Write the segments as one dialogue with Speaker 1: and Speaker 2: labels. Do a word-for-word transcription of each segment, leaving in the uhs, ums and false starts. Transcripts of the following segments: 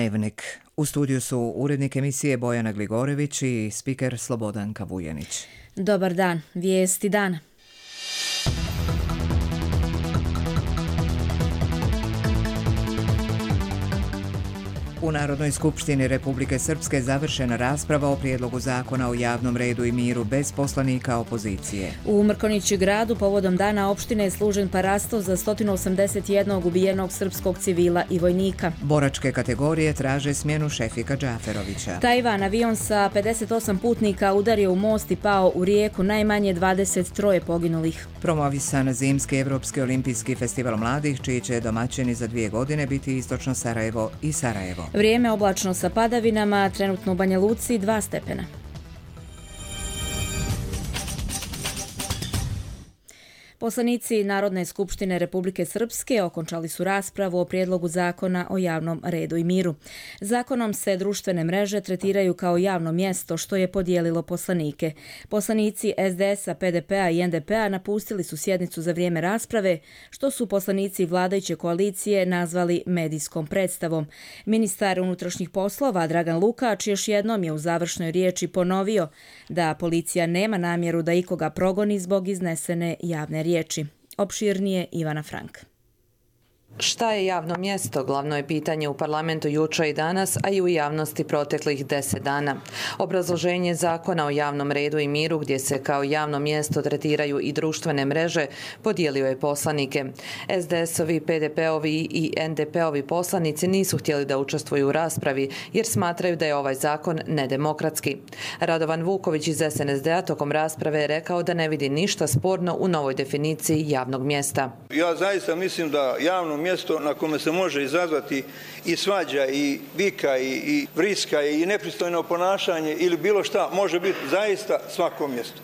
Speaker 1: Dnevnik. U studiju su urednik emisije Bojana Gligorević i spiker Slobodanka Vujanić.
Speaker 2: Dobar dan, vijesti dana.
Speaker 1: U Narodnoj skupštini Republike Srpske završena rasprava o prijedlogu zakona o javnom redu i miru bez poslanika opozicije.
Speaker 2: U Mrkonjići gradu povodom dana opštine je služen parasto za sto osamdeset jedan ubijenog srpskog civila i vojnika.
Speaker 1: Boračke kategorije traže smjenu Šefika Džaferovića.
Speaker 2: Tajvan avion sa pedeset osam putnika udario u most i pao u rijeku, najmanje dvadeset tri poginulih.
Speaker 1: Promovisan zimski Evropski olimpijski festival mladih, čiji će domaćini za dvije godine biti Istočno Sarajevo i Sarajevo.
Speaker 2: Vrijeme oblačno sa padavinama, trenutno u Banja Luci dva stepena. Poslanici Narodne skupštine Republike Srpske okončali su raspravu o prijedlogu zakona o javnom redu i miru. Zakonom se društvene mreže tretiraju kao javno mjesto, što je podijelilo poslanike. Poslanici es de es a, pe de pe a i en de pe a napustili su sjednicu za vrijeme rasprave, što su poslanici vladajuće koalicije nazvali medijskom predstavom. Ministar unutrašnjih poslova Dragan Lukač još jednom je u završnoj riječi ponovio da policija nema namjeru da ikoga progoni zbog iznesene javne riječi. Riječi. Opširnije Ivana Frank.
Speaker 3: Šta je javno mjesto? Glavno je pitanje u parlamentu jučer i danas, a i u javnosti proteklih deset dana. Obrazloženje zakona o javnom redu i miru, gdje se kao javno mjesto tretiraju i društvene mreže, podijelio je poslanike. es de es ovi, pe de pe ovi i en de pe ovi poslanici nisu htjeli da učestvuju u raspravi, jer smatraju da je ovaj zakon nedemokratski. Radovan Vuković iz es en es de a tokom rasprave je rekao da ne vidi ništa sporno u novoj definiciji javnog mjesta.
Speaker 4: Ja zaista mislim da javno mjesto na kome se može izazvati i svađa i vika i, i vriska i nepristojno ponašanje ili bilo šta, može biti zaista svako mjesto.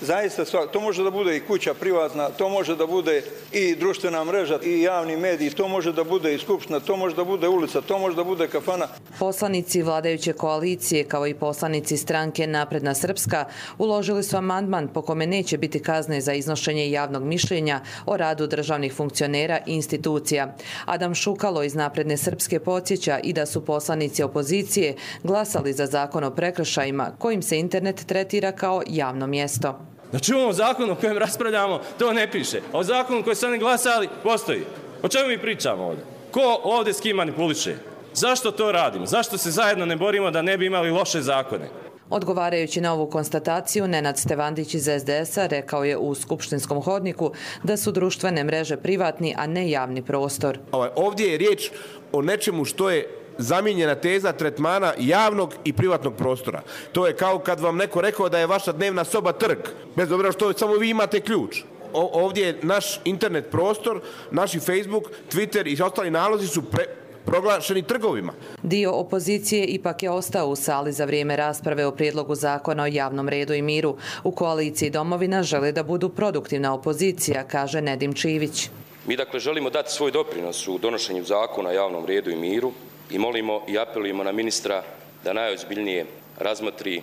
Speaker 4: Zaista svako. To može da bude i kuća privatna, to može da bude i društvena mreža i javni mediji, to može da bude i skupština, to može da bude ulica, to može da bude kafana.
Speaker 3: Poslanici vladajuće koalicije, kao i poslanici stranke Napredna Srpska, uložili su amandman po kome neće biti kazne za iznošenje javnog mišljenja o radu državnih funkcionera i institucija. Adam Šukalo iz Napredne Srpske podsjeća i da su poslanici opozicije glasali za zakon o prekršajima, kojim se internet tretira kao javno mjesto.
Speaker 5: Znači u ovom zakonu o kojem raspravljamo to ne piše. A o zakonu koji su oni glasali postoji. O čemu mi pričamo ovdje? Ko ovdje s kim manipuliše? Zašto to radimo? Zašto se zajedno ne borimo da ne bi imali loše zakone?
Speaker 3: Odgovarajući na ovu konstataciju, Nenad Stevandić iz es de es a rekao je u skupštinskom hodniku da su društvene mreže privatni, a ne javni prostor.
Speaker 6: Ovdje je riječ o nečemu što je zamijenjena teza tretmana javnog i privatnog prostora. To je kao kad vam neko rekao da je vaša dnevna soba trg, bez obzira što samo vi imate ključ. O, ovdje je naš internet prostor, naši Facebook, Twitter i ostali nalozi su pre, proglašeni trgovima.
Speaker 3: Dio opozicije ipak je ostao u sali za vrijeme rasprave o prijedlogu zakona o javnom redu i miru. U koaliciji Domovina žele da budu produktivna opozicija, kaže Nedim Čivić.
Speaker 7: Mi dakle želimo dati svoj doprinos u donošenju zakona o javnom redu i miru i molimo i apelujemo na ministra da najozbiljnije razmotri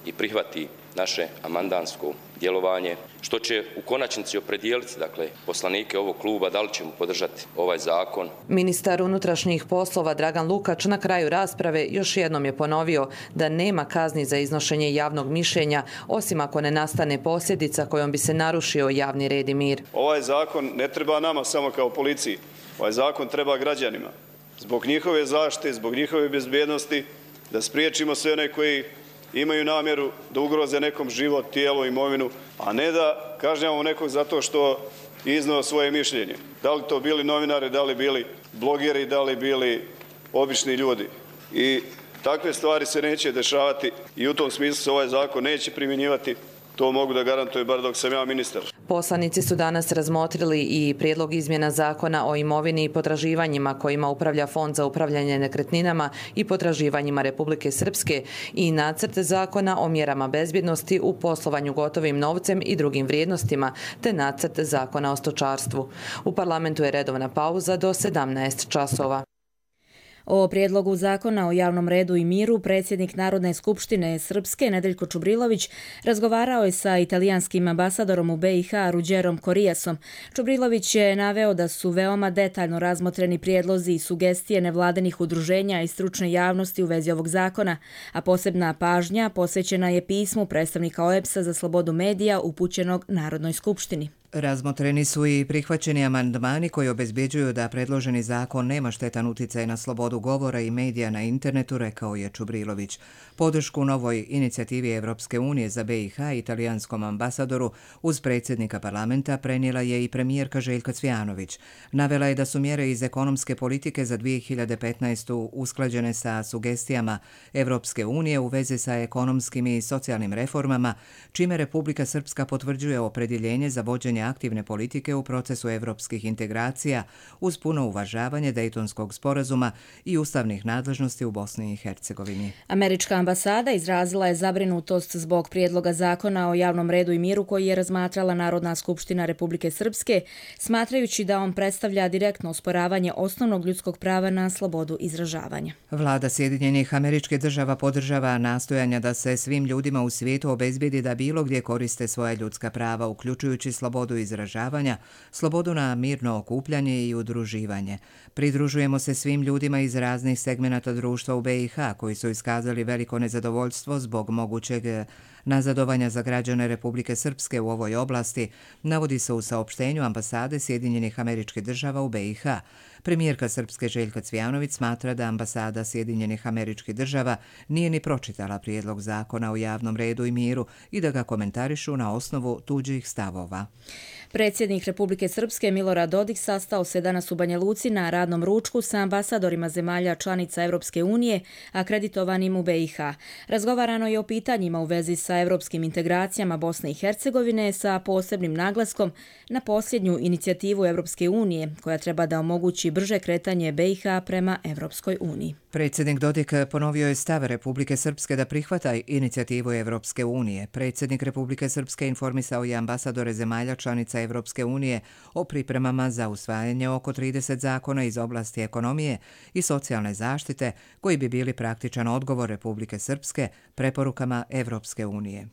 Speaker 7: i prihvati naše amandansko djelovanje, što će u konačnici opredijeliti dakle, poslanike ovog kluba da li ćemo podržati ovaj zakon.
Speaker 3: Ministar unutrašnjih poslova Dragan Lukač na kraju rasprave još jednom je ponovio da nema kazni za iznošenje javnog mišljenja, osim ako ne nastane posljedica kojom bi se narušio javni red i mir.
Speaker 8: Ovaj zakon ne treba nama samo kao policiji, ovaj zakon treba građanima. Zbog njihove zaštite, zbog njihove bezbjednosti, da spriječimo sve one koji imaju namjeru da ugroze nekom život, tijelo, imovinu, a ne da kažnjavamo nekog zato što izneo svoje mišljenje. Da li to bili novinari, da li bili blogeri, da li bili obični ljudi. I takve stvari se neće dešavati i u tom smislu se ovaj zakon neće primjenjivati. To mogu da garantujem bar dok sam ja ministar.
Speaker 3: Poslanici su danas razmotrili i prijedlog izmjena zakona o imovini i potraživanjima kojima upravlja Fond za upravljanje nekretninama i potraživanjima Republike Srpske i nacrt zakona o mjerama bezbjednosti u poslovanju gotovim novcem i drugim vrijednostima, te nacrt zakona o stočarstvu. U parlamentu je redovna pauza do sedamnaest časova.
Speaker 2: O prijedlogu zakona o javnom redu i miru predsjednik Narodne skupštine Srpske Nedeljko Čubrilović razgovarao je sa italijanskim ambasadorom u B i H Ruđerom Korijasom. Čubrilović je naveo da su veoma detaljno razmotreni prijedlozi i sugestije nevladinih udruženja i stručne javnosti u vezi ovog zakona, a posebna pažnja posvećena je pismu predstavnika O E B S-a za slobodu medija upućenog Narodnoj skupštini.
Speaker 1: Razmotreni su i prihvaćeni amandmani koji obezbjeđuju da predloženi zakon nema štetan uticaj na slobodu govora i medija na internetu, rekao je Čubrilović. Podršku novoj inicijativi Evropske unije za B i H italijanskom ambasadoru uz predsjednika parlamenta prenijela je i premijerka Željka Cvijanović. Navela je da su mjere iz ekonomske politike za dvije hiljade petnaestu. usklađene sa sugestijama Evropske unije u vezi sa ekonomskim i socijalnim reformama, čime Republika Srpska potvrđuje opredjeljenje za vođenje aktivne politike u procesu evropskih integracija uz puno uvažavanje Dejtonskog sporazuma i ustavnih nadležnosti u Bosni i Hercegovini.
Speaker 2: Američka ambasada izrazila je zabrinutost zbog prijedloga zakona o javnom redu i miru koji je razmatrala Narodna skupština Republike Srpske, smatrajući da on predstavlja direktno osporavanje osnovnog ljudskog prava na slobodu izražavanja.
Speaker 1: Vlada Sjedinjenih Američkih Država podržava nastojanja da se svim ljudima u svijetu obezbijedi da bilo gdje koriste svoja ljudska prava, uključujući slobodu izražavanja, slobodu na mirno okupljanje i udruživanje. Pridružujemo se svim ljudima iz raznih segmenata društva u B i H koji su iskazali veliko nezadovoljstvo zbog mogućeg nazadovanja za građane Republike Srpske u ovoj oblasti, navodi se u saopštenju ambasade Sjedinjenih Američkih Država u B i H. Premijerka Srpske Željka Cvijanović smatra da ambasada Sjedinjenih Američkih Država nije ni pročitala prijedlog zakona o javnom redu i miru i da ga komentarišu na osnovu tuđih stavova.
Speaker 2: Predsjednik Republike Srpske Milorad Dodik sastao se danas u Banja Luci na radnom ručku sa ambasadorima zemalja članica Evropske unije, akreditovanim u B i H. Razgovarano je o pitanjima u vezi sa evropskim integracijama Bosne i Hercegovine sa posebnim naglaskom na posljednju inicijativu Evropske unije koja treba da omogući brže kretanje B i H prema Evropskoj uniji.
Speaker 1: Predsjednik Dodik ponovio je stav Republike Srpske da prihvata inicijativu Evropske unije. Predsjednik Republike Srpske informisao je ambasadore zemalja članica Evropske unije o pripremama za usvajanje oko trideset zakona iz oblasti ekonomije i socijalne zaštite koji bi bili praktičan odgovor Republike Srpske preporukama Evropske unije.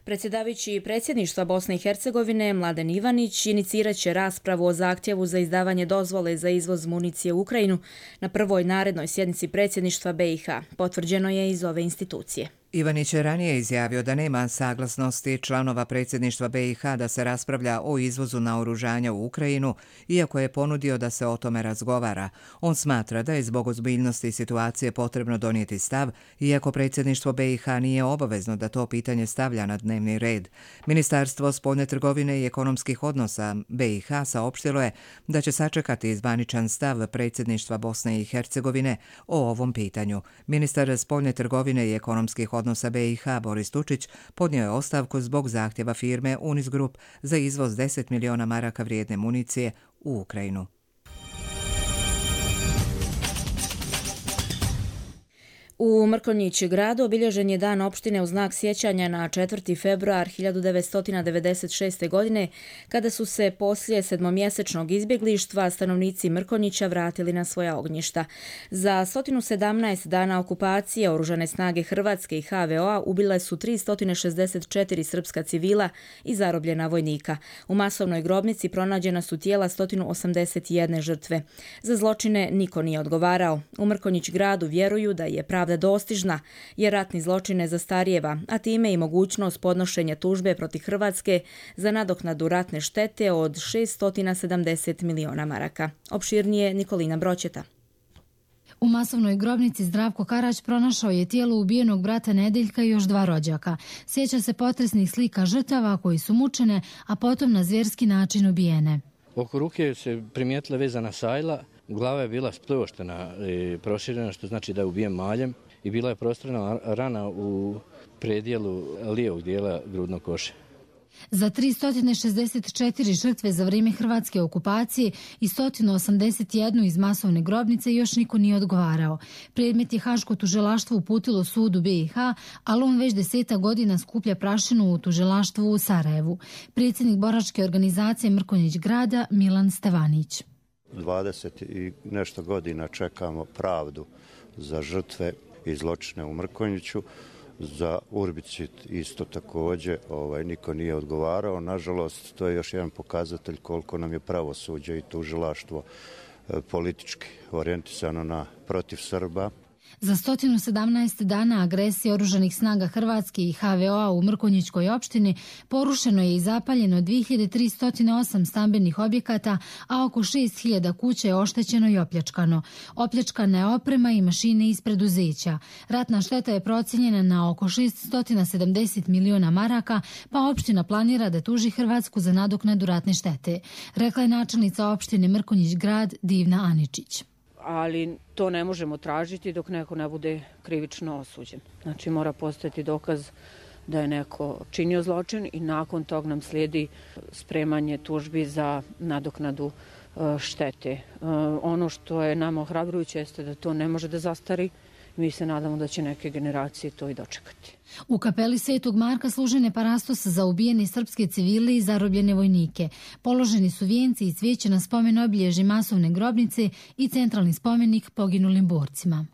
Speaker 2: Predsjedavajući predsjedništva Bosne i Hercegovine Mladen Ivanić inicirat će raspravu o zahtjevu za izdavanje dozvole za izvoz municije u Ukrajinu na prvoj narednoj sjednici predsjedništva B i H, potvrđeno je iz ove institucije.
Speaker 1: Ivanić je ranije izjavio da nema saglasnosti članova predsjedništva B i H da se raspravlja o izvozu naoružanja u Ukrajinu, iako je ponudio da se o tome razgovara. On smatra da je zbog ozbiljnosti situacije potrebno donijeti stav, iako predsjedništvo B i H nije obavezno da to pitanje stavlja na dnevni red. Ministarstvo spoljne trgovine i ekonomskih odnosa B i H saopštilo je da će sačekati zvaničan stav predsjedništva Bosne i Hercegovine o ovom pitanju. Ministar spoljne trgovine i ekonomskih odnosa odnosa B i H Boris Tučić podnio je ostavku zbog zahtjeva firme Unis Group za izvoz deset miliona maraka vrijedne municije u Ukrajinu.
Speaker 2: U Mrkonjić gradu obilježen je dan opštine u znak sjećanja na četvrti februar hiljadu devetsto devedeset šeste. godine, kada su se poslije sedmomjesečnog izbjeglištva stanovnici Mrkonjića vratili na svoja ognjišta. Za sto sedamnaest dana okupacije oružane snage Hrvatske i H V O-a ubile su tristo šezdeset četiri srpska civila i zarobljena vojnika. U masovnoj grobnici pronađena su tijela sto osamdeset jedne žrtve. Za zločine niko nije odgovarao. U Mrkonjić gradu vjeruju da je pravda dostižna, jer ratni zločin ne zastarijeva, a time i mogućnost podnošenja tužbe protiv Hrvatske za nadoknadu ratne štete od šessto sedamdeset miliona maraka. Opširnije Nikolina Broćeta.
Speaker 9: U masovnoj grobnici Zdravko Karać pronašao je tijelo ubijenog brata Nedeljka i još dva rođaka. Sjeća se potresnih slika žrtava koji su mučene, a potom na zvjerski način ubijene.
Speaker 10: Oko ruke se primijetila vezana sajla, glava je bila spljoštena i proširena, što znači da je ubijen maljem, i bila je prostrana rana u predjelu lijevog dijela grudnog koša.
Speaker 9: Za tristo šezdeset četiri žrtve za vrijeme hrvatske okupacije i sto osamdeset jednu iz masovne grobnice još niko nije odgovarao. Predmet je Haško tužilaštvo uputilo sudu B i H, ali on već deseta godina skuplja prašinu u tužilaštvu u Sarajevu. Predsjednik boračke organizacije Mrkonjić grada Milan Stevanić.
Speaker 11: dvadeset i nešto godina čekamo pravdu za žrtve i zločine u Mrkonjiću. Za Urbicit isto također ovaj, niko nije odgovarao. Nažalost, to je još jedan pokazatelj koliko nam je pravosuđe i tužilaštvo politički orijentisano na protiv Srba.
Speaker 9: Za sto sedamnaest dana agresije oružanih snaga Hrvatske i ha ve o a u Mrkonjićkoj opštini porušeno je i zapaljeno dvije hiljade tristo osam stambenih objekata, a oko šest hiljada kuća je oštećeno i opljačkano. Opljačkana je oprema i mašine iz preduzeća. Ratna šteta je procijenjena na oko šesto sedamdeset miliona maraka, pa opština planira da tuži Hrvatsku za nadoknadu ratne štete, rekla je načelnica opštine Mrkonjić grad Divna Aničić.
Speaker 12: Ali to ne možemo tražiti dok neko ne bude krivično osuđen. Znači mora postojati dokaz da je neko činio zločin i nakon tog nam slijedi spremanje tužbi za nadoknadu štete. Ono što je nama ohrabrujuće jeste da to ne može da zastari. Mi se nadamo da će neke generacije to i dočekati.
Speaker 9: U kapeli Svetog Marka služen je parastos za ubijene srpske civile i zarobljene vojnike. Položeni su vijenci i cvijeće na spomen obilježi masovne grobnice i centralni spomenik poginulim borcima.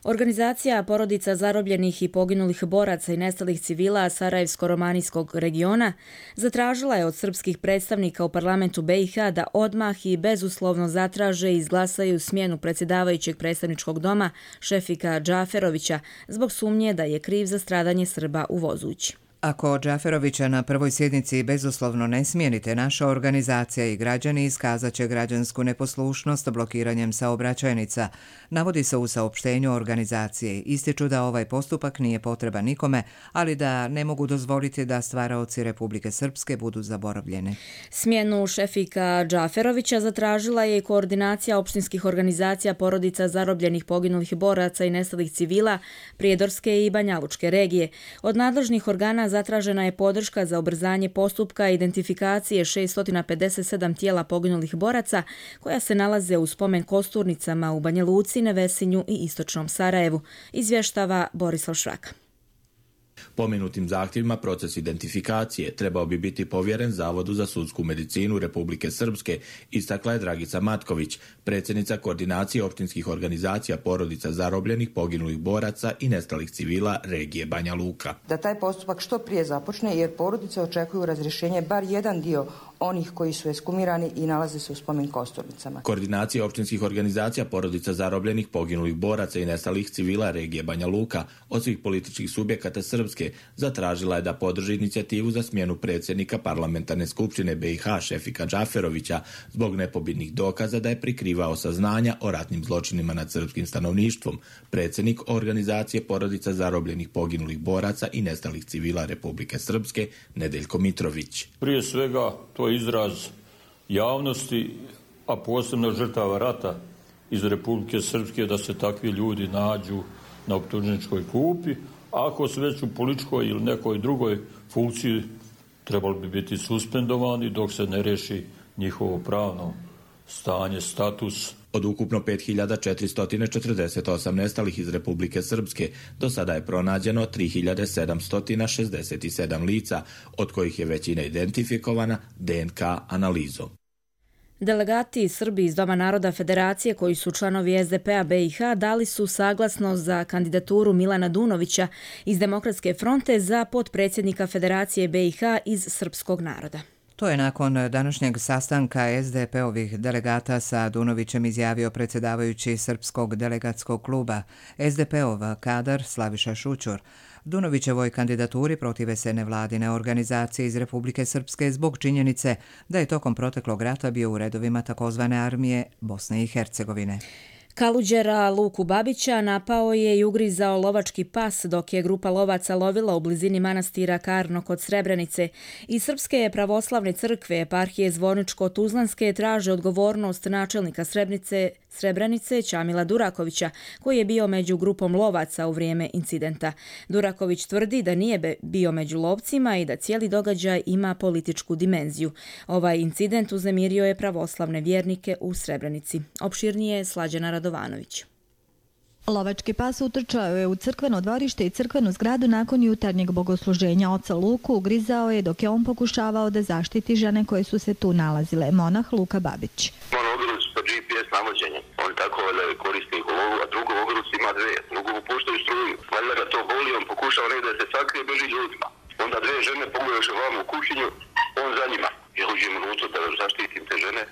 Speaker 2: Organizacija porodica zarobljenih i poginulih boraca i nestalih civila Sarajevsko-romanijskog regiona zatražila je od srpskih predstavnika u parlamentu be i ha da odmah i bezuslovno zatraže i izglasaju smjenu predsjedavajućeg predstavničkog doma Šefika Džaferovića zbog sumnje da je kriv za stradanje Srba u Vozući.
Speaker 1: Ako Džaferovića na prvoj sjednici bezuslovno ne smijenite, naša organizacija i građani iskazat će građansku neposlušnost blokiranjem saobraćajnica. Navodi se u saopštenju organizacije. Ističu da ovaj postupak nije potreban nikome, ali da ne mogu dozvoliti da stvaraoci Republike Srpske budu zaboravljene.
Speaker 2: Smjenu Šefika Džaferovića zatražila je i koordinacija opštinskih organizacija porodica zarobljenih poginulih boraca i nestalih civila Prijedorske i Banjalučke regije. Od nadležnih organa zatražena je podrška za ubrzanje postupka identifikacije šesto pedeset sedam tijela poginulih boraca koja se nalaze u spomen kosturnicama u Banja Luci, Nevesinju i istočnom Sarajevu, izvještava Borislav Švaka.
Speaker 13: Pomenutim zahtjevima proces identifikacije trebao bi biti povjeren Zavodu za sudsku medicinu Republike Srpske, istakla je Dragica Matković, predsjednica koordinacije opštinskih organizacija porodica zarobljenih, poginulih boraca i nestalih civila regije Banja Luka.
Speaker 14: Da taj postupak što prije započne jer porodice očekuju razrješenje bar jedan dio onih koji su ekskumirani i nalaze se u spomen kosturnicama.
Speaker 13: Koordinacija opštinskih organizacija porodica zarobljenih, poginulih boraca i nestalih civila regije Banja Luka od svih političkih subjekata Srpske zatražila je da podrži inicijativu za smjenu predsjednika parlamentarne skupštine be i ha Šefika Džaferovića zbog nepobitnih dokaza da je prikrivao saznanja o ratnim zločinima nad srpskim stanovništvom. Predsjednik organizacije porodica zarobljenih, poginulih boraca i nestalih civila Republike Srpske Nedeljko Mitrović.
Speaker 15: Prije svega to je izraz javnosti, a posebno žrtava rata iz Republike Srpske da se takvi ljudi nađu na optužničkoj klupi. Ako su već u političkoj ili nekoj drugoj funkciji, trebali bi biti suspendovani dok se ne riješi njihovo pravno stanje, status.
Speaker 13: Od ukupno pet hiljada četiristo četrdeset osam nestalih iz Republike Srpske do sada je pronađeno tri hiljade sedamsto šezdeset sedam lica, od kojih je većina identifikovana de en ka analizom.
Speaker 2: Delegati Srbi iz Doma naroda Federacije koji su članovi es de pe-a be i ha dali su saglasnost za kandidaturu Milana Dunovića iz Demokratske fronte za potpredsjednika Federacije be i ha iz srpskog naroda.
Speaker 1: To je nakon današnjeg sastanka es de pe-ovih delegata sa Dunovićem izjavio predsjedavajući Srpskog delegatskog kluba. es de pe-ov kadar Slaviša Šućur. Dunovićevoj kandidaturi protive se nevladine organizacije iz Republike Srpske zbog činjenice da je tokom proteklog rata bio u redovima takozvane armije Bosne i Hercegovine.
Speaker 2: Kaluđera Luku Babića napao je i ugrizao lovački pas dok je grupa lovaca lovila u blizini manastira Karno kod Srebrenice. I Srpske pravoslavne crkve eparhije Zvorničko-Tuzlanske traže odgovornost načelnika Srebrenice, Srebrenice Čamila Durakovića, koji je bio među grupom lovaca u vrijeme incidenta. Duraković tvrdi da nije bio među lovcima i da cijeli događaj ima političku dimenziju. Ovaj incident uznemirio je pravoslavne vjernike u Srebrenici. Opširnije je Slađana Radovanović.
Speaker 16: Lovački pas utrčao je u crkveno dvorište i crkvenu zgradu nakon jutarnjeg bogosluženja. Oca Luku ugrizao je dok je on pokušavao da zaštiti žene koje su se tu nalazile. Monah Luka Babić.
Speaker 17: On tako valjda je korisnik ovogu, a drugo u ruci ima dve, drugo mu puštaju struju. Valjda ga to boli, on pokušava negdje da se sakrije, beži ljudima. Onda dve žene pogledaš vam u kućinju, on za njima. Ja uđem unutra da zaštitim te žene,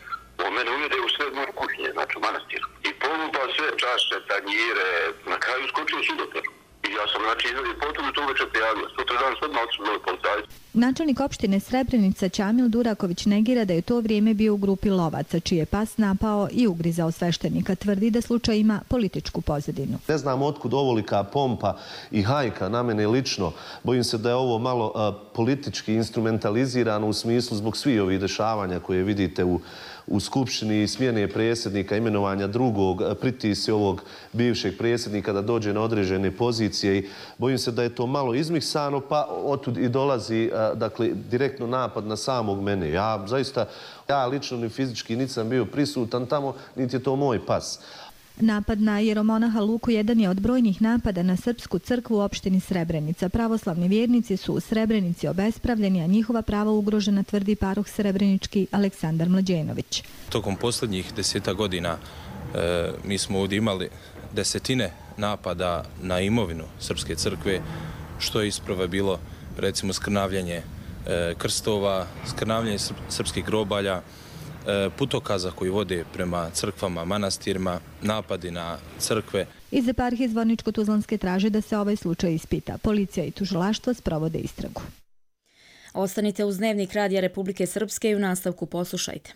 Speaker 17: on mene uvede u sve moje kućinje, znači u manastiru. I polupa sve čaše, tanjire, na kraju skočio u sudoperu. I ja sam znači izvedi potom i to uveče prijavio. Sutra dan sve odmah otišao novi policajci.
Speaker 16: Načelnik opštine Srebrenica Ćamil Duraković negira da je u to vrijeme bio u grupi lovaca, čiji je pas napao i ugrizao sveštenika. Tvrdi da slučaj ima političku pozadinu.
Speaker 18: Ne znam otkud ovolika pompa i hajka na mene lično. Bojim se da je ovo malo a, politički instrumentalizirano u smislu zbog svih ovih dešavanja koje vidite u u Skupštini, smjene predsjednika, imenovanja drugog, pritisci ovog bivšeg predsjednika da dođe na određene pozicije i bojim se da je to malo izmiksano, pa otud i dolazi dakle, direktno napad na samog mene. Ja zaista, ja lično ni fizički nisam bio prisutan tamo, niti je to moj pas.
Speaker 16: Napad na jeromonaha Luku jedan je od brojnih napada na Srpsku crkvu u opštini Srebrenica. Pravoslavni vjernici su u Srebrenici obespravljeni, a njihova prava ugrožena, tvrdi paroh srebrenički Aleksandar Mlađenović.
Speaker 19: Tokom posljednjih deseta godina e, mi smo ovdje imali desetine napada na imovinu Srpske crkve, što je isprava bilo recimo skrnavljanje e, krstova, skrnavljanje srp, srpskih grobalja, putokaza koji vode prema crkvama, manastirima, napadi na crkve.
Speaker 16: Iz eparhije Zvorničko-Tuzlanske traže da se ovaj slučaj ispita. Policija i tužilaštvo sprovode istragu.
Speaker 2: Ostanite uz Dnevnik Radija Republike Srpske i u nastavku poslušajte.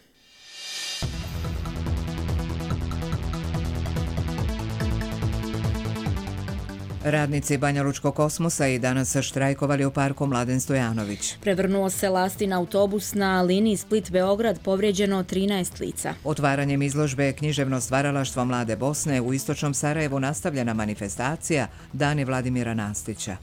Speaker 1: Radnici Banjalučkog Kosmosa i danas štrajkovali u parku Mladen Stojanović.
Speaker 2: Prevrnuo se lastin autobus na liniji Split-Beograd, povrijeđeno trinaest lica.
Speaker 1: Otvaranjem izložbe Književno stvaralaštvo Mlade Bosne u istočnom Sarajevu nastavljena manifestacija Dani Vladimira Nastića.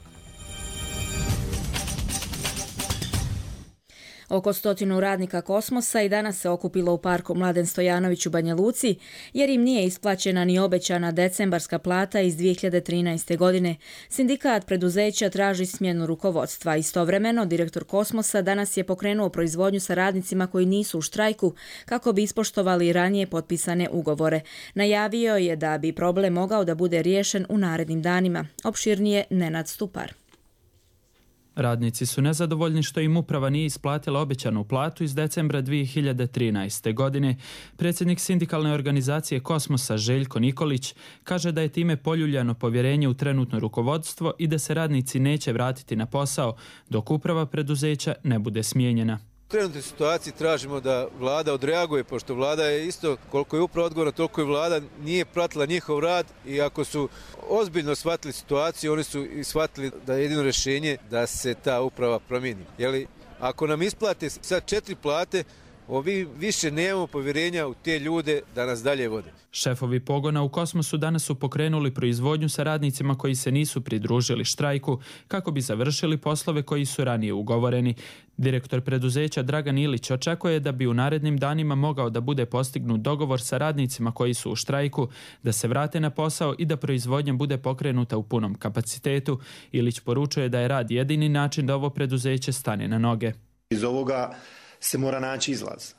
Speaker 2: Oko stotinu radnika Kosmosa i danas se okupilo u parku Mladen Stojanović u Banja Luci, jer im nije isplaćena ni obećana decembarska plata iz dvije hiljade trinaeste. godine. Sindikat preduzeća traži smjenu rukovodstva. Istovremeno, direktor Kosmosa danas je pokrenuo proizvodnju sa radnicima koji nisu u štrajku kako bi ispoštovali ranije potpisane ugovore. Najavio je da bi problem mogao da bude riješen u narednim danima. Opširnije Nenad Stupar.
Speaker 20: Radnici su nezadovoljni što im uprava nije isplatila obećanu platu iz decembra dvije hiljade trinaeste. godine. Predsjednik sindikalne organizacije Kosmosa Željko Nikolić kaže da je time poljuljano povjerenje u trenutno rukovodstvo i da se radnici neće vratiti na posao dok uprava preduzeća ne bude smijenjena.
Speaker 21: U trenutnoj situaciji tražimo da vlada odreaguje, pošto vlada je isto, koliko je upravo odgovorna, toliko i vlada nije pratila njihov rad i ako su ozbiljno shvatili situaciju, oni su i shvatili da je jedino rješenje da se ta uprava promijeni. Jeli, ako nam isplate sad četiri plate, ovi više nemamo povjerenja u te ljude da nas dalje vode.
Speaker 20: Šefovi pogona u Kosmosu danas su pokrenuli proizvodnju sa radnicima koji se nisu pridružili štrajku kako bi završili poslove koji su ranije ugovoreni. Direktor preduzeća Dragan Ilić očekuje da bi u narednim danima mogao da bude postignut dogovor sa radnicima koji su u štrajku, da se vrate na posao i da proizvodnja bude pokrenuta u punom kapacitetu. Ilić poručuje da je rad jedini način da ovo preduzeće stane na noge.
Speaker 22: Iz ovoga se mora naći izlaz.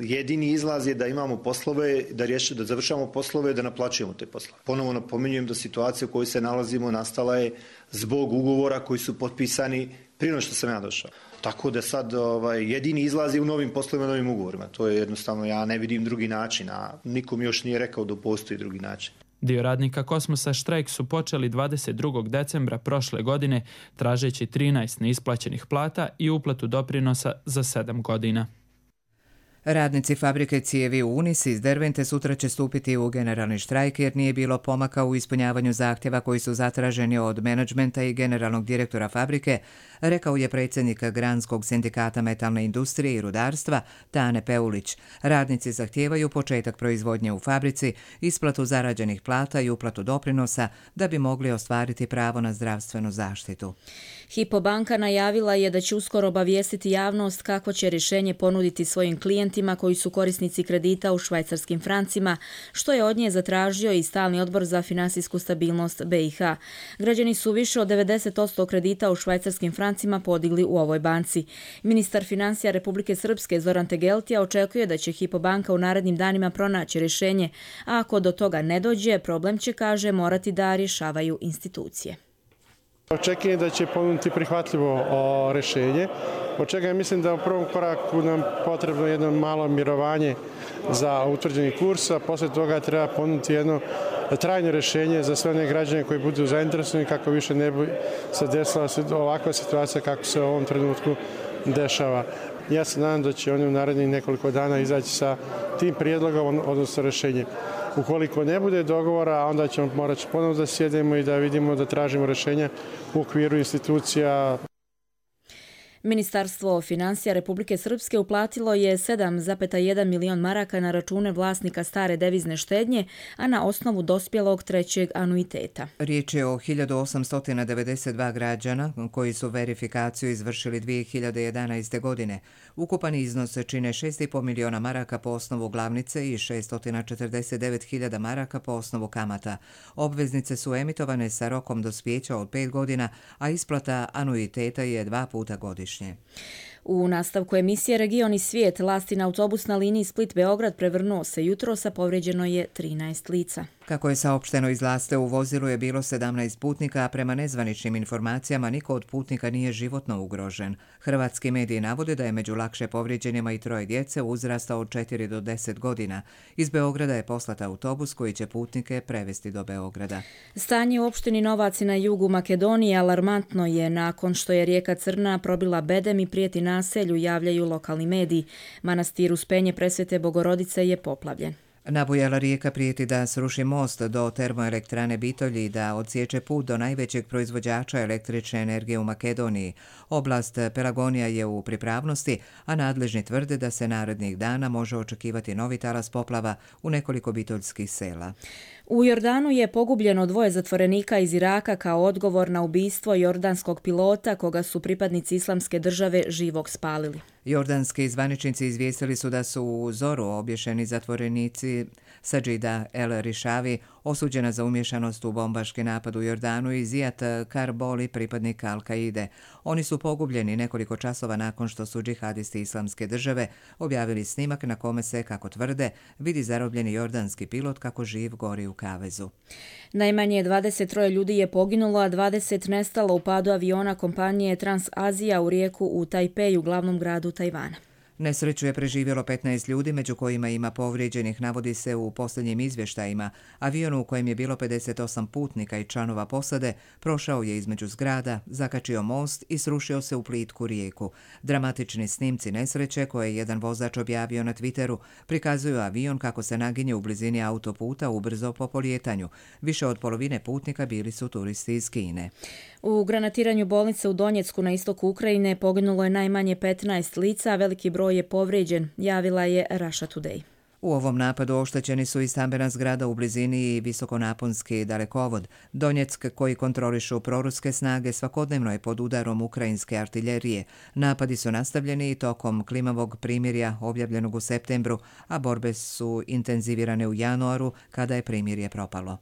Speaker 22: Jedini izlaz je da imamo poslove, da riješimo, da završamo poslove, da naplaćujemo te poslove. Ponovo napominjem da situacija u kojoj se nalazimo nastala je zbog ugovora koji su potpisani prije nego što sam ja došao. Tako da sad ovaj, jedini izlaz je u novim poslovima, novim ugovorima. To je jednostavno, ja ne vidim drugi način, a nikom još nije rekao da postoji drugi način.
Speaker 20: Dio radnika Kosmosa štrajk su počeli dvadeset drugog decembra prošle godine, tražeći trinaest neisplaćenih plata i uplatu doprinosa za sedam godina.
Speaker 1: Radnici fabrike cijevi u Unis iz Dervente sutra će stupiti u generalni štrajk jer nije bilo pomaka u ispunjavanju zahtjeva koji su zatraženi od menadžmenta i generalnog direktora fabrike, rekao je predsjednik Granskog sindikata metalne industrije i rudarstva Tane Peulić. Radnici zahtijevaju početak proizvodnje u fabrici, isplatu zarađenih plata i uplatu doprinosa da bi mogli ostvariti pravo na zdravstvenu zaštitu.
Speaker 2: Hypo banka najavila je da će uskoro obavijestiti javnost kako će rješenje ponuditi svojim klijentima studentima koji su korisnici kredita u švajcarskim francima, što je od nje zatražio i Stalni odbor za finansijsku stabilnost B i H. Građani su više od devedeset posto kredita u švajcarskim francima podigli u ovoj banci. Ministar financija Republike Srpske Zoran Tegeltija očekuje da će Hypo banka u narednim danima pronaći rješenje, a ako do toga ne dođe, problem će, kaže, morati da rješavaju institucije.
Speaker 4: Očekujem da će ponuditi prihvatljivo rješenje, od čega mislim da u prvom koraku nam potrebno jedno malo mirovanje za utvrđeni kurs, a poslije toga treba ponuditi jedno trajno rješenje za sve one građane koji budu zainteresovani kako više ne bi se desila ovakva situacija kako se u ovom trenutku dešava. Ja se nadam da će oni u narednih nekoliko dana izaći sa tim prijedlogom, odnosno rješenjem. Ukoliko ne bude dogovora, onda ćemo morati ponovno da sjedemo i da vidimo da tražimo rješenja u okviru institucija.
Speaker 2: Ministarstvo financija Republike Srpske uplatilo je sedam zarez jedan milion maraka na račune vlasnika stare devizne štednje, a na osnovu dospjelog trećeg anuiteta.
Speaker 1: Riječ je o hiljadu osamsto devedeset dva građana koji su verifikaciju izvršili dvije hiljade jedanaeste. godine. Ukupan iznos čine šest zarez pet miliona maraka po osnovu glavnice i šeststo četrdeset devet hiljada maraka po osnovu kamata. Obveznice su emitovane sa rokom dospijeća od pet godina, a isplata anuiteta je dva puta godišnje.
Speaker 2: U nastavku emisije Region i svijet, lastin autobus na liniji Split-Beograd prevrnuo se jutros, a povrijeđeno je trinaest lica.
Speaker 1: Kako je saopšteno iz Laste, u vozilu je bilo sedamnaest putnika, a prema nezvaničnim informacijama niko od putnika nije životno ugrožen. Hrvatski mediji navode da je među lakše povrijeđenima i troje djece uzrasta od četiri do deset godina. Iz Beograda je poslat autobus koji će putnike prevesti do Beograda.
Speaker 2: Stanje u opštini Novaci na jugu Makedonije alarmantno je nakon što je rijeka Crna probila bedem i prijeti naselju, javljaju lokalni mediji. Manastir Uspenje Presvete Bogorodice je poplavljen.
Speaker 1: Nabujala rijeka prijeti da sruši most do termoelektrane Bitolji i da odsječe put do najvećeg proizvođača električne energije u Makedoniji. Oblast Pelagonija je u pripravnosti, a nadležni tvrde da se narednih dana može očekivati novi talas poplava u nekoliko bitoljskih sela.
Speaker 2: U Jordanu je pogubljeno dvoje zatvorenika iz Iraka kao odgovor na ubistvo jordanskog pilota koga su pripadnici Islamske države živog spalili.
Speaker 1: Jordanski zvaničnici izvijestili su da su u Zoru obješeni zatvorenici Sajida El Rišavi, osuđena za umješanost u bombaški napad u Jordanu, i Zijat Karboli, pripadnik Al-Kaide. Oni su pogubljeni nekoliko časova nakon što su džihadisti Islamske države objavili snimak na kome se, kako tvrde, vidi zarobljeni jordanski pilot kako živ gori u kavezu.
Speaker 2: Najmanje dvadeset troje ljudi je poginulo, a dvadeset nestalo u padu aviona kompanije Transazija u rijeku u Tajpeju, glavnom gradu Tajvana.
Speaker 1: Nesreću je preživjelo petnaest ljudi, među kojima ima povrijeđenih, navodi se u posljednjim izvještajima. Avion u kojem je bilo pedeset osam putnika i članova posade prošao je između zgrada, zakačio most i srušio se u plitku rijeku. Dramatični snimci nesreće, koje je jedan vozač objavio na Twitteru, prikazuju avion kako se naginje u blizini autoputa ubrzo po polijetanju. Više od polovine putnika bili su turisti iz Kine.
Speaker 2: U granatiranju bolnice u Donjecku na istoku Ukrajine poginulo je najmanje petnaest lica, a veliki broj je povrijeđen, javila je Russia Today.
Speaker 1: U ovom napadu oštećeni su i stambena zgrada u blizini i visokonaponski dalekovod. Donjeck, koji kontrolišu proruske snage, svakodnevno je pod udarom ukrajinske artiljerije. Napadi su nastavljeni i tokom klimavog primirja objavljenog u septembru, a borbe su intenzivirane u januaru kada je primirje propalo.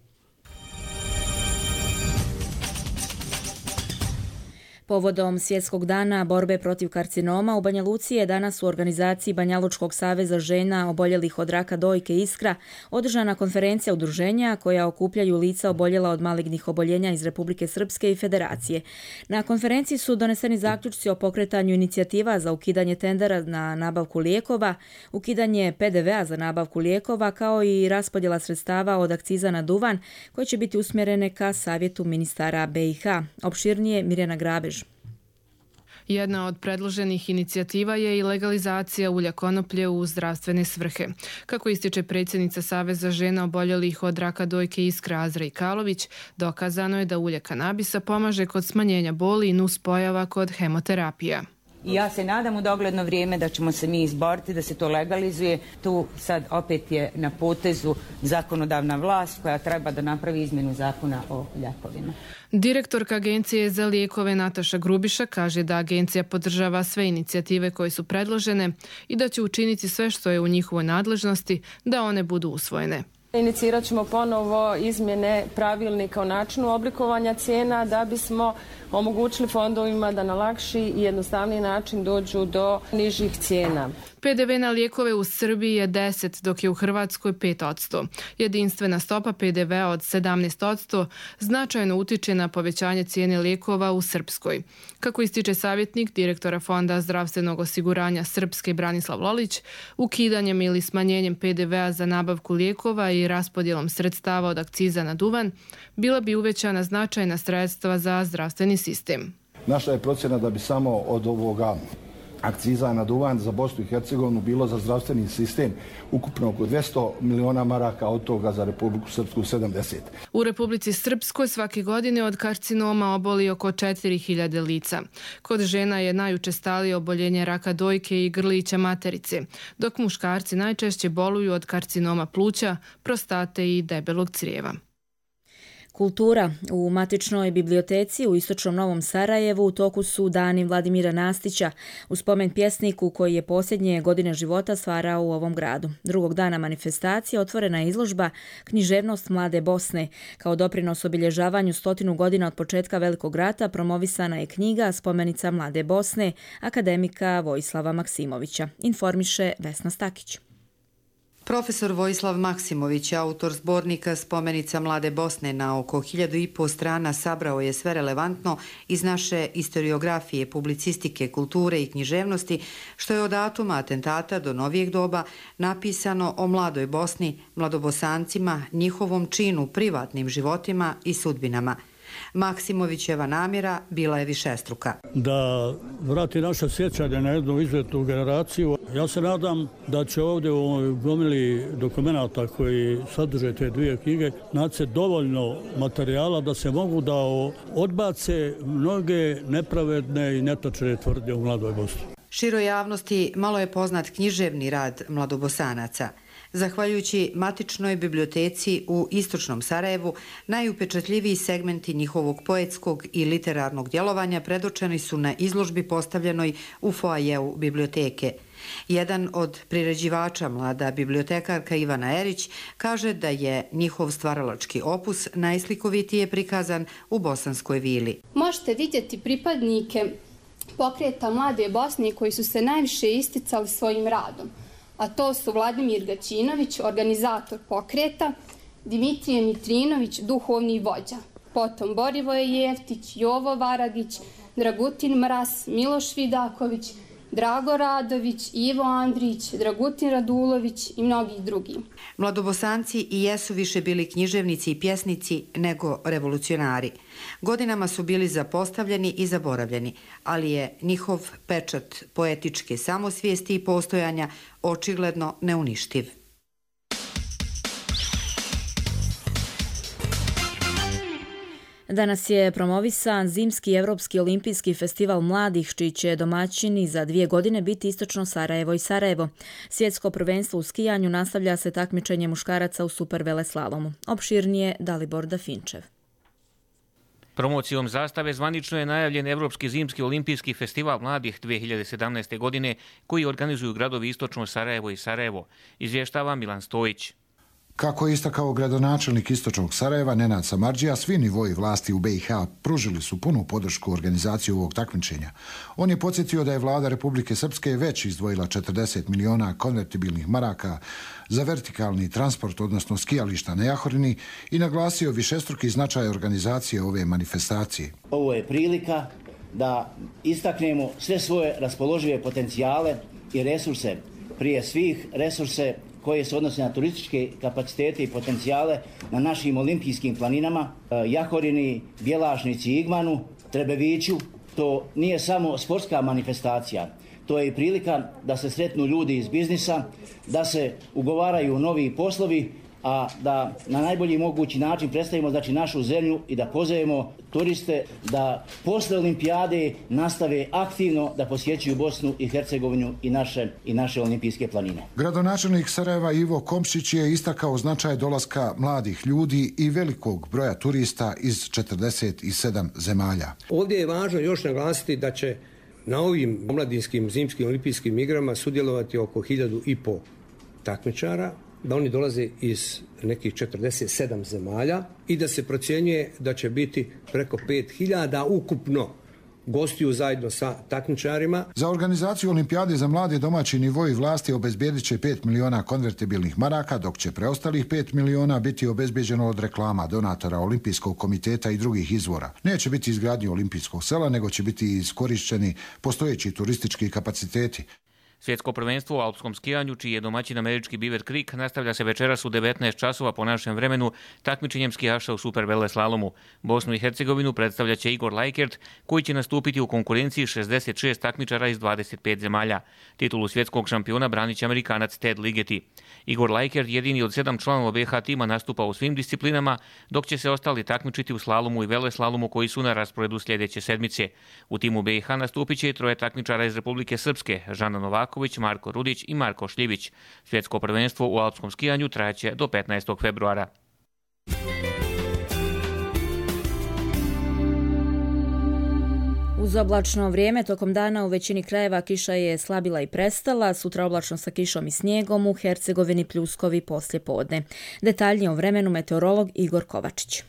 Speaker 2: Povodom Svjetskog dana borbe protiv karcinoma u Banja Luci je danas u organizaciji Banjalučkog saveza žena oboljelih od raka dojke Iskra održana konferencija udruženja koja okupljaju lica oboljela od malignih oboljenja iz Republike Srpske i Federacije. Na konferenciji su doneseni zaključci o pokretanju inicijativa za ukidanje tendera na nabavku lijekova, ukidanje P D V-a za nabavku lijekova, kao i raspodjela sredstava od akciza na duvan koje će biti usmjerene ka savjetu ministara B i H. Opširnije Mirjana Grabež.
Speaker 5: Jedna od predloženih inicijativa je i legalizacija ulja konoplje u zdravstvene svrhe. Kako ističe predsjednica Saveza žena oboljelih od raka dojke Iskra Azra Ikalović, dokazano je da ulje kanabisa pomaže kod smanjenja boli i nuspojava kod hemoterapija.
Speaker 6: I ja se nadam u dogledno vrijeme da ćemo se mi izboriti da se to legalizuje. Tu sad opet je na potezu zakonodavna vlast koja treba da napravi izmjenu zakona o lijekovima.
Speaker 5: Direktorka Agencije za lijekove Nataša Grubiša kaže da agencija podržava sve inicijative koje su predložene i da će učiniti sve što je u njihovoj nadležnosti da one budu usvojene.
Speaker 7: Inicirat ćemo ponovo izmjene pravilnika o načinu oblikovanja cijena da bismo omogućili fondovima da na lakši i jednostavniji način dođu do nižih cijena.
Speaker 5: P D V na lijekove u Srbiji je deset, dok je u Hrvatskoj pet posto. Jedinstvena stopa P D V-a od sedamnaest posto značajno utiče na povećanje cijene lijekova u Srpskoj. Kako ističe savjetnik direktora Fonda zdravstvenog osiguranja Srpske Branislav Lolić, ukidanjem ili smanjenjem P D V-a za nabavku lijekova i raspodjelom sredstava od akciza na duvan, bila bi uvećana značajna sredstva za zdravstveni sistem.
Speaker 23: Naša je procjena da bi samo od ovoga akciza na duvan za Bosnu i Hercegovinu bilo za zdravstveni sistem ukupno oko dvjesto miliona maraka, od toga za Republiku Srpsku sedamdeset.
Speaker 5: U Republici Srpskoj svake godine od karcinoma oboli oko četiri hiljade lica. Kod žena je najučestalije oboljenje raka dojke i grlića materice, dok muškarci najčešće boluju od karcinoma pluća, prostate i debelog crijeva.
Speaker 2: Kultura. U matičnoj biblioteci u istočnom Novom Sarajevu u toku su dani Vladimira Nastića, u spomen pjesniku koji je posljednje godine života stvarao u ovom gradu. Drugog dana manifestacije otvorena je izložba Književnost mlade Bosne. Kao doprinos obilježavanju stotinu godina od početka Velikog rata promovisana je knjiga Spomenica mlade Bosne akademika Vojislava Maksimovića. Informiše Vesna Stakić.
Speaker 24: Profesor Vojislav Maksimović, autor zbornika Spomenica mlade Bosne, na oko hiljadu i po strana sabrao je sve relevantno iz naše historiografije, publicistike, kulture i književnosti, što je od datuma atentata do novijeg doba napisano o mladoj Bosni, mladobosancima, njihovom činu, privatnim životima i sudbinama. Maksimovićeva namjera bila je višestruka.
Speaker 25: Da vrati naše sjećanje na jednu izvjetnu generaciju. Ja se nadam da će ovdje u ovoj gomili dokumenata koji sadrže te dvije knjige naći dovoljno materijala da se mogu da odbace mnoge nepravedne i netočne tvrdnje u mladoj Bosni.
Speaker 24: Široj javnosti malo je poznat književni rad mladobosanaca. Zahvaljujući matičnoj biblioteci u istočnom Sarajevu, najupečatljiviji segmenti njihovog poetskog i literarnog djelovanja predočeni su na izložbi postavljenoj u foajeu biblioteke. Jedan od priređivača, mlada bibliotekarka Ivana Erić, kaže da je njihov stvaralački opus najslikovitije prikazan u Bosanskoj vili.
Speaker 26: Možete vidjeti pripadnike pokreta mlade Bosne koji su se najviše isticali svojim radom, a to su Vladimir Gaćinović, organizator pokreta, Dimitrije Mitrinović, duhovni vođa, potom Borivoje Jeftić, Jovo Varagić, Dragutin Mraz, Miloš Vidaković, Drago Radović, Ivo Andrić, Dragutin Radulović i mnogi drugi.
Speaker 24: Mladobosanci i jesu više bili književnici i pjesnici nego revolucionari. Godinama su bili zapostavljeni i zaboravljeni, ali je njihov pečat poetičke samosvijesti i postojanja očigledno neuništiv.
Speaker 2: Danas je promovisan Zimski Evropski olimpijski festival mladih, čiji će domaćini za dvije godine biti istočno Sarajevo i Sarajevo. Svjetsko prvenstvo u skijanju nastavlja se takmičenje muškaraca u superveleslalomu. Opširnije Dalibor Dafinčev.
Speaker 27: Promocijom zastave zvanično je najavljen Evropski zimski olimpijski festival mladih dvije hiljade sedamnaeste. godine, koji organizuju gradovi istočno Sarajevo i Sarajevo, izvještava Milan Stojić.
Speaker 28: Kako je istakao gradonačelnik istočnog Sarajeva Nenad Samardžija, svi nivoji vlasti u B i H pružili su punu podršku organizaciju ovog takmičenja. On je podsjetio da je vlada Republike Srpske već izdvojila četrdeset miliona konvertibilnih maraka za vertikalni transport, odnosno skijališta na Jahorini, i naglasio višestruki značaj organizacije ove manifestacije.
Speaker 29: Ovo je prilika da istaknemo sve svoje raspoložive potencijale i resurse, prije svih resurse koje se odnose na turističke kapacitete i potencijale na našim olimpijskim planinama, Jahorini, Bjelašnici i Igmanu, Trebeviću. To nije samo sportska manifestacija, to je i prilika da se sretnu ljudi iz biznisa, da se ugovaraju novi poslovi a da na najbolji mogući način predstavimo znači našu zemlju i da pozovemo turiste da posle olimpijade nastave aktivno da posjećuju Bosnu i Hercegovinu i naše, i naše olimpijske planine.
Speaker 28: Gradonačelnik Sarajeva Ivo Komšić je istakao značaj dolaska mladih ljudi i velikog broja turista iz četrdeset sedam zemalja.
Speaker 3: Ovdje je važno još naglasiti da će na ovim omladinskim zimskim olimpijskim igrama sudjelovati oko hiljadu i po takmičara, da oni dolaze iz nekih četrdeset sedam zemalja i da se procjenjuje da će biti preko pet hiljada ukupno gostiju zajedno sa takmičarima.
Speaker 28: Za organizaciju olimpijade za mlade domaći nivoi vlasti obezbijedit će pet miliona konvertibilnih maraka, dok će preostalih pet miliona biti obezbijeđeno od reklama, donatora, Olimpijskog komiteta i drugih izvora. Neće biti izgradnje olimpijskog sela, nego će biti iskorišćeni postojeći turistički kapaciteti.
Speaker 27: Svjetsko prvenstvo u alpskom skijanju, čiji je domaćin američki Beaver Creek, nastavlja se večeras u devetnaest časova po našem vremenu takmičenjem skijaša u super veleslalomu. Bosnu i Hercegovinu predstavlja će Igor Lajkert, koji će nastupiti u konkurenciji šezdeset šest takmičara iz dvadeset pet zemalja. Titulu svjetskog šampiona branit će Amerikanac Ted Ligeti. Igor Lajkert, jedini od sedam članova B H tima, nastupa u svim disciplinama, dok će se ostali takmičiti u slalomu i veleslalomu koji su na rasporedu sljedeće sedmice. U timu B H nastupit će i troje takmičara iz Republike Srpske, Žana Novaković, Marko Rudić i Marko Šljivić. Svjetsko prvenstvo u alpskom skijanju trajaće do petnaestog februara.
Speaker 2: Uz oblačno vrijeme tokom dana u većini krajeva kiša je slabila i prestala, sutra oblačno sa kišom i snijegom, u Hercegovini pljuskovi poslije podne. Detaljnije o vremenu meteorolog Igor Kovačić.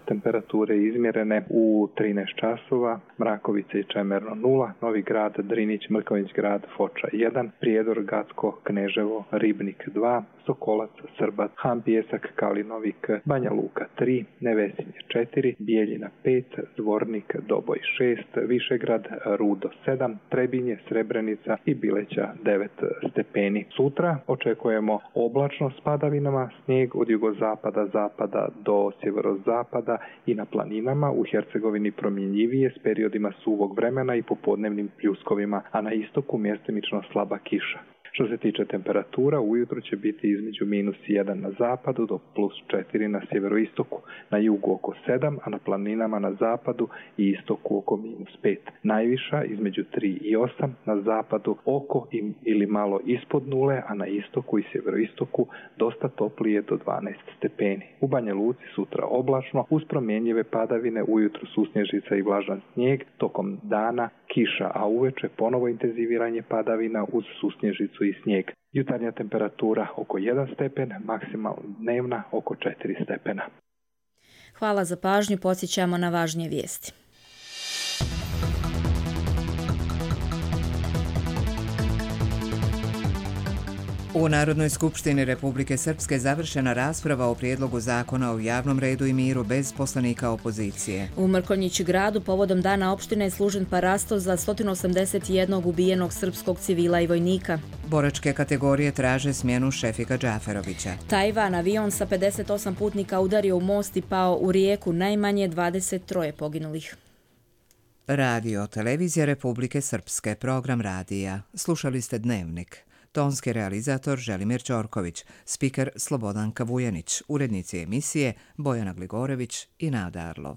Speaker 8: Temperature izmjerene u trinaest časova, Mrakovica i Čemerno nula, Novi Grad, Drinić, Mrkonjić Grad, Foča jedan, Prijedor, Gacko, Kneževo, Ribnik dva, Sokolac, Srbat, Han Pijesak, Kalinovik, Banja Luka tri, Nevesinje četiri, Bijeljina pet, Zvornik, Doboj šest, Višegrad, Rudo sedam, Trebinje, Srebrenica i Bileća devet stepeni. Sutra očekujemo oblačno s padavinama, snijeg od jugozapada, zapada do sjeverozapada i na planinama, u Hercegovini promjenjivije s periodima suvog vremena i popodnevnim pljuskovima, a na istoku mjestimično slaba kiša. Što se tiče temperatura, ujutro će biti između minus jedan na zapadu do plus četiri na sjeveroistoku, na jugu oko sedam, a na planinama na zapadu i istoku oko minus pet. Najviša između tri i osam, na zapadu oko ili malo ispod nule, a na istoku i sjeveroistoku dosta toplije do dvanaest stepeni. U Banja Luci sutra oblačno, uz promjenjive padavine, ujutro susnježica i vlažan snijeg, tokom dana kiša, a uveče ponovo intenziviranje padavina uz susnježicu i snijeg. Jutarnja temperatura oko jedan stepen, maksimalna dnevna oko četiri stepena.
Speaker 2: Hvala za pažnju, podsjećamo na važnije vijesti.
Speaker 1: U Narodnoj skupštini Republike Srpske završena rasprava o prijedlogu zakona o javnom redu i miru bez poslanika opozicije.
Speaker 2: U Mrkonjić gradu povodom dana opštine je služen parasto za sto osamdeset jedan ubijenog srpskog civila i vojnika.
Speaker 1: Boračke kategorije traže smjenu Šefika Džaferovića.
Speaker 2: Tajvan, avion sa pedeset osam putnika udario u most i pao u rijeku, najmanje dvadeset tri poginulih.
Speaker 1: Radio Televizija Republike Srpske, program radija. Slušali ste Dnevnik. Tonski realizator Želimir Ćorković, spiker Slobodanka Vujanić, urednici emisije Bojana Gligorević i Nada Arlov.